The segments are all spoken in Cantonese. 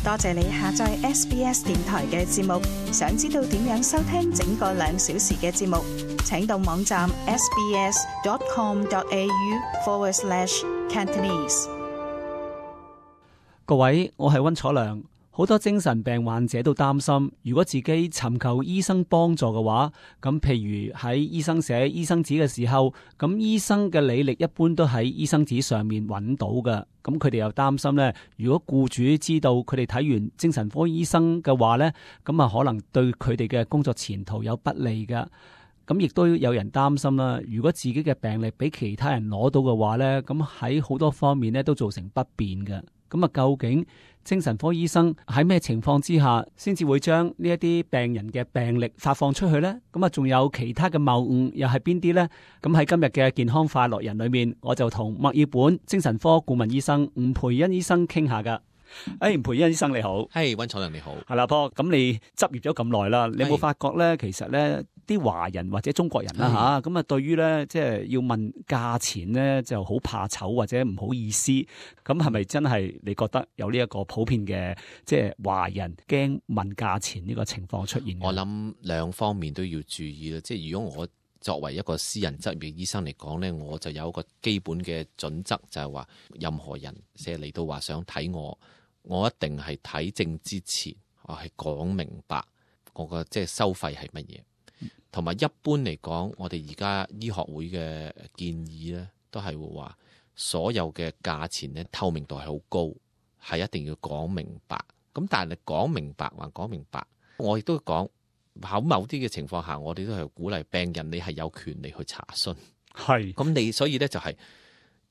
多謝你下載 SBS 電台嘅節目。想知道點樣收聽整個2小時嘅節目，請到網站 sbs.com.au/Cantonese。各位，我係溫楚良。好多精神病患者都擔心，如果自己尋求醫生幫助嘅話，咁譬如喺醫生寫醫生紙嘅時候，咁醫生嘅履歷一般都喺醫生紙上面揾到嘅。咁佢哋又擔心呢，如果僱主知道佢哋睇完精神科醫生嘅話呢，咁啊可能對佢哋嘅工作前途有不利㗎。咁亦都有人擔心啦，如果自己嘅病歷俾其他人攞到嘅話呢，咁喺好多方面呢都造成不便嘅。咁啊，究竟精神科醫生喺咩情況之下先至會將呢一啲病人嘅病歷發放出去呢？咁啊，仲有其他嘅謬誤又係邊啲呢？咁喺今日嘅健康快樂人裏面，我就同墨爾本精神科顧問醫生吳培恩醫生傾下噶。吳培恩醫生你好。係，溫楚良你好。係啦，波，咁你執業咗咁耐啦，你有冇發覺咧？其實咧，啲華人或者中國人啦吓，咁啊，對於咧即係要問價錢咧，就好怕醜或者唔好意思。咁係咪真係你覺得有呢一個普遍嘅即係華人驚問價錢呢個情況出現？我諗兩方面都要注意啦。即係如果我作為一個私人執業醫生嚟講咧，我就有一個基本嘅準則，就係話任何人寫嚟到話想睇我一定係睇症之前，我係講明白我個即係收費係乜嘢，同埋一般嚟講，我哋而家醫學會嘅建議咧，都係會話所有嘅價錢咧透明度係好高，係一定要講明白。咁但係你講明白還講明白，我亦都講喺某啲嘅情況下，我哋都係鼓勵病人你係有權利去查詢。係咁你所以咧就係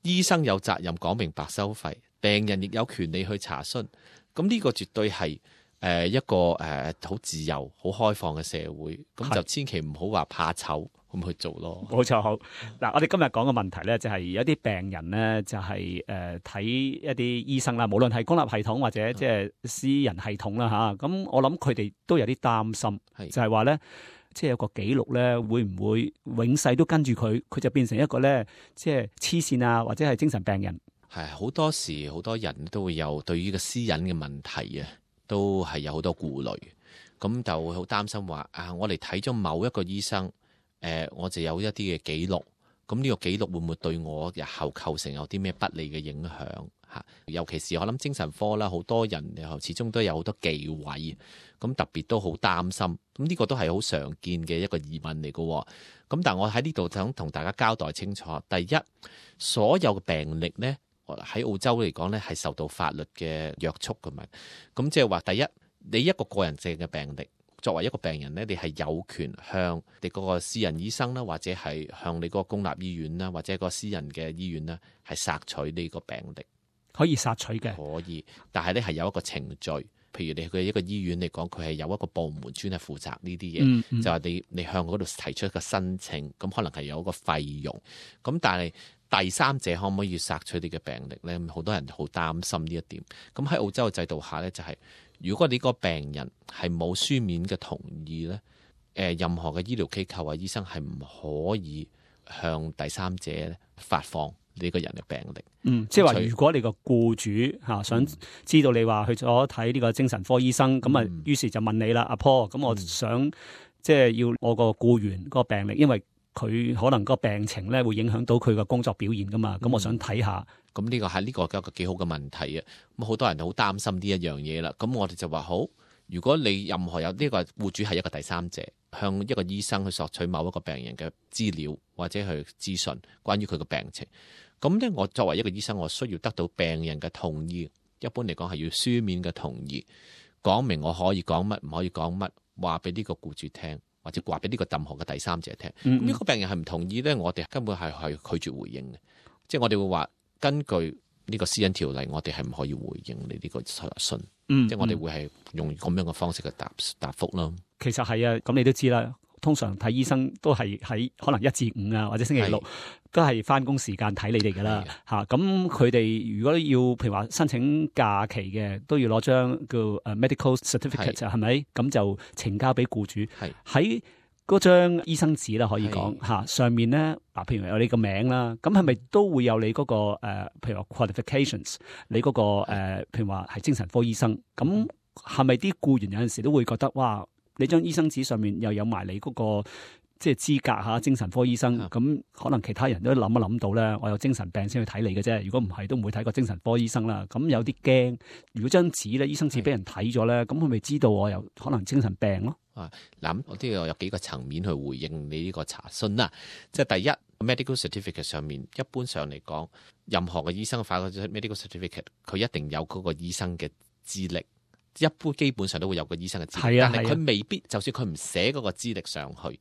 醫生有責任講明白收費。病人亦有權利去查詢，咁呢個絕對係一個好自由、好開放嘅社會，咁就千祈唔好話怕醜咁去做咯。冇錯，好嗱，我哋今日講嘅問題咧，就係有啲病人咧，就係睇一啲醫生啦，無論係公立系統或者即係私人系統啦吓，咁我諗佢哋都有啲擔心，就係話咧，即係有個記錄咧，會唔會永世都跟住佢，佢就變成一個咧，即係黐線啊，或者係精神病人。係好多時，好多人都會有對於個私隱嘅問題啊，都係有好多顧慮，咁就會好擔心話我哋睇咗某一個醫生，我就有一啲嘅記錄，咁呢個記錄會唔會對我日後構成有啲咩不利嘅影響嚇？尤其是我諗精神科啦，好多人又始終都有好多忌諱，咁特別都好擔心，咁呢個都係好常見嘅一個疑問嚟嘅。咁但係我喺呢度想同大家交代清楚，第一，所有嘅病歷呢，喺澳洲嚟講咧，係受到法律嘅約束㗎嘛。咁即係話，第一，你一個個人性嘅病歷，作為一個病人咧，你係有權向你嗰個私人醫生啦，或者係向你嗰個公立醫院啦，或者個私人嘅醫院啦，係索取呢個病歷。可以索取嘅，可以，但係咧係有一個程序。譬如你去一個醫院嚟講，佢係有一個部門專係負責呢啲嘢，就係你向嗰度提出一個申請，咁可能係有一個費用。咁但係第三者可唔可以索取你嘅病歷呢？好多人好擔心呢一點。咁喺澳洲嘅制度下呢，就係如果你個病人係冇書面嘅同意呢，任何嘅醫療機構啊、醫生係唔可以向第三者發放呢個人嘅病歷。即係話如果你個僱主想知道你話去咗睇呢個精神科醫生，咁啊，於是就問你啦，阿 Paul，咁我想即係要我個僱員個病歷，因為佢可能個病情咧會影響到佢個工作表現噶嘛，咁我想睇下。咁呢個係一個幾好嘅問題啊！咁好多人好擔心呢一樣嘢啦。咁我哋就話好，如果你任何有呢個僱主係一個第三者，向一個醫生去索取某一個病人嘅資料或者去資訊關於佢嘅病情，咁咧我作為一個醫生，我需要得到病人嘅同意。一般嚟講係要書面嘅同意，講明我可以講乜，唔可以講乜，話俾呢個僱主聽，或者話俾呢個任何嘅第三者聽。呢個病人係唔同意咧，我哋根本係拒絕回應嘅。即係我哋會話，根據呢個私隱條例，我哋係唔可以回應你呢個信。即係我哋會係用咁樣嘅方式去答覆咯。其實係啊，咁你都知啦。通常睇醫生都係喺可能1至5啊，或者星期6都係翻工時間睇你哋噶啦嚇。咁佢哋如果要譬如話申請假期嘅，都要攞張叫medical certificate 係咪？咁就呈交俾僱主。喺嗰張醫生紙啦，可以講嚇，上面咧嗱，譬如有你個名啦，咁係咪都會有你嗰個譬如話 qualifications， 你嗰個譬如話係精神科醫生，咁係咪啲僱員有陣時都會覺得哇，你張醫生紙上面又有埋你嗰個即係資格嚇，精神科醫生，咁可能其他人都諗一諗到咧，我有精神病先去睇你嘅啫，如果唔係都唔會睇個精神科醫生啦。咁有啲驚，如果張紙咧，醫生紙俾人睇咗咧，咁佢咪知道我有可能精神病咯？嗱，我都有幾個層面去回應你呢個查詢啦。即係第一 medical certificate 上面，一般上嚟講，任何嘅醫生發嗰張 medical certificate， 佢一定有嗰個醫生嘅資歷，一般基本上都會有個醫生嘅資歷，但係佢未必，就算佢唔寫嗰個資歷上去，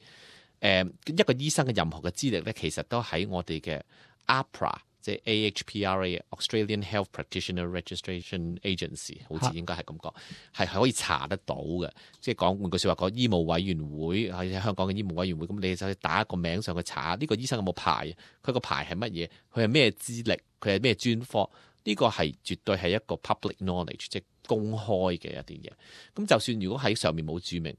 一個醫生嘅任何嘅資歷咧，其實都喺我哋嘅 AHPRA。即係 AHPRA Australian Health Practitioner Registration Agency， 好似應該係咁講，係可以查得到嘅。即係講換句説話講，醫務委員會喺香港嘅醫務委員會，咁你就打一個名上去查呢個醫生有冇牌，佢個牌係乜嘢，佢係咩資歷，佢係咩專科，呢個係絕對係一個 public knowledge， 即係公開嘅一啲嘢。咁就算如果喺上面冇註明，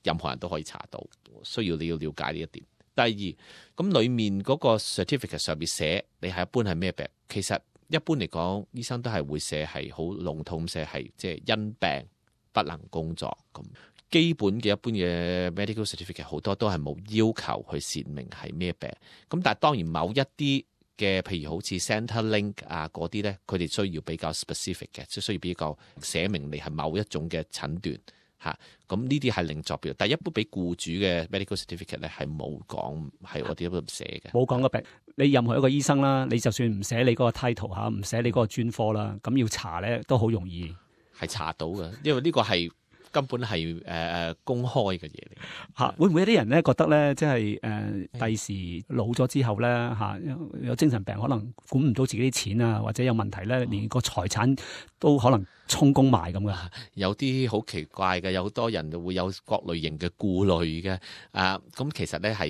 任何人都可以查到，需要你要了解呢一點。第二，咁裡面嗰個 certificate 上面寫你係一般係咩病？其實一般嚟講，醫生都係會寫係好籠統寫係即係因病不能工作咁。基本嘅一般嘅 medical certificate 好多都係冇要求去闡明係咩病。咁但係當然某一啲嘅譬如好似 Centrelink 啊嗰啲咧，佢哋需要比較 specific 嘅，即係需要比較寫明你係某一種嘅診斷。咁呢啲係另作別，但係一般俾僱主嘅 medical certificate 咧係冇講，係我哋都唔寫嘅。冇講個病，你任何一個醫生啦，你就算唔寫你嗰個 title 嚇，唔寫你嗰個專科啦，咁要查咧都好容易，係查到嘅，因為呢個係根本係公開嘅嘢嚟嚇。會唔會有啲人咧覺得咧，即係第時老咗之後咧嚇，有精神病，可能管唔到自己啲錢啊，或者有問題咧，連個財產都可能充公埋咁噶？有啲好奇怪嘅，有好多人會有各類型嘅顧慮嘅。咁其實咧喺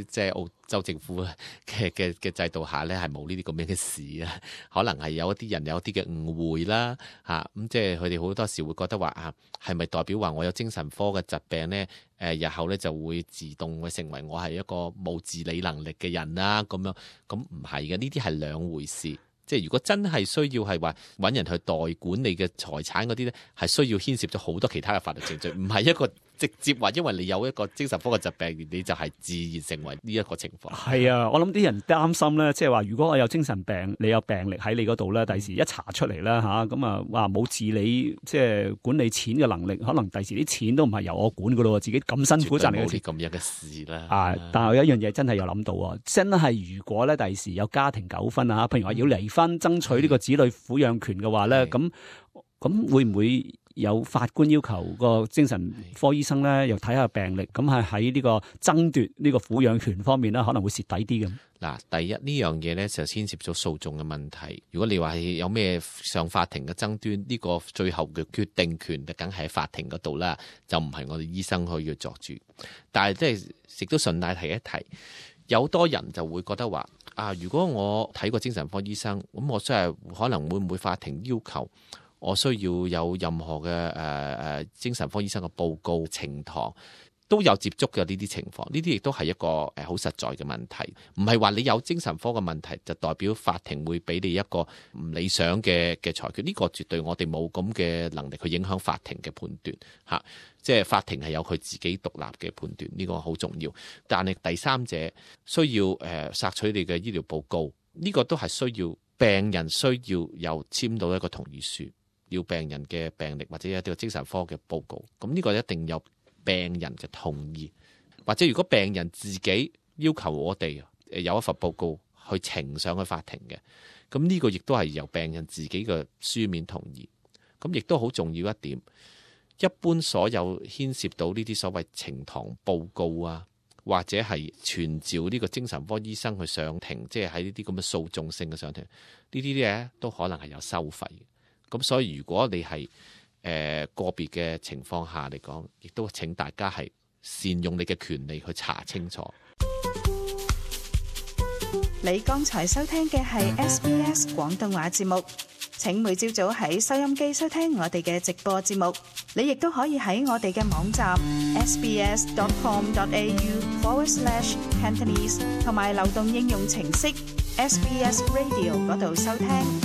即係澳洲政府嘅制度下咧，係冇呢啲咁樣嘅事啊。可能係有一啲人有一啲嘅誤會啦。咁即係佢哋好多時會覺得話係咪代表話我有精神科嘅疾病咧？日後咧就會自動會成為我係一個冇自理能力嘅人啦。咁樣咁唔係嘅，呢啲係兩回事。即係如果真係需要係話揾人去代管你嘅財產嗰啲咧，係需要牽涉咗好多其他嘅法律程序，唔係一個直接話因為你有一個精神科嘅疾病，你就係自然成為呢一個情況。係啊，我諗啲人擔心咧，即係話如果我有精神病，你有病歷喺你嗰度咧，第時一查出嚟啦嚇，咁啊話冇自理即係管理錢嘅能力，可能第時啲錢都唔係由我管噶咯，自己咁辛苦賺嚟嘅錢。冇啲咁樣嘅事啦。但係有一樣嘢真係有諗到喎，真係如果咧第時有家庭糾紛啊，譬如話要離婚爭取呢個子女撫養權嘅話咧，咁會唔會有法官要求個精神科醫生咧，又睇下病歷，咁係喺呢個爭奪呢個撫養權方面咧，可能會蝕底啲咁。嗱，第一呢樣嘢咧就牽涉咗訴訟嘅問題。如果你話係有咩上法庭嘅爭端，呢個最後嘅決定權就梗係喺法庭嗰度啦，就唔係我哋醫生可以去作主。但係即係亦都順帶提一提，有好多人就會覺得話如果我睇過精神科醫生，咁我真係可能會唔會法庭要求我需要有任何嘅精神科醫生嘅報告呈堂，都有接觸嘅呢啲情況。呢啲亦都係一個好實在嘅問題，唔係話你有精神科嘅問題就代表法庭會俾你一個唔理想嘅裁決。呢個絕對我哋冇咁嘅能力去影響法庭嘅判斷嚇。即係法庭係有佢自己獨立嘅判斷，呢個好重要。但係第三者需要索取你嘅醫療報告，呢個都係需要病人需要有簽到一個同意書，要病人嘅病歷或者一啲精神科嘅報告。咁呢個一定有病人嘅同意，或者如果病人自己要求我哋有一份報告去呈上去法庭嘅，咁呢個亦都係由病人自己嘅書面同意。咁亦都好重要一點。一般所有牽涉到呢啲所謂呈堂報告啊，或者係傳召呢個精神科醫生去上庭，即係喺呢啲咁嘅訴訟性嘅上庭，呢啲嘢都可能係有收費嘅。咁所以如果你係個別嘅情況下嚟講，亦都請大家係善用你嘅權利去查清楚。你剛才收聽嘅係 SBS 廣東話節目。請每朝早喺收音機收聽我哋嘅直播節目。你亦都可以喺我哋嘅網站 sbs.com.au/Cantonese 同埋流動應用程式 SBS Radio 嗰度收聽。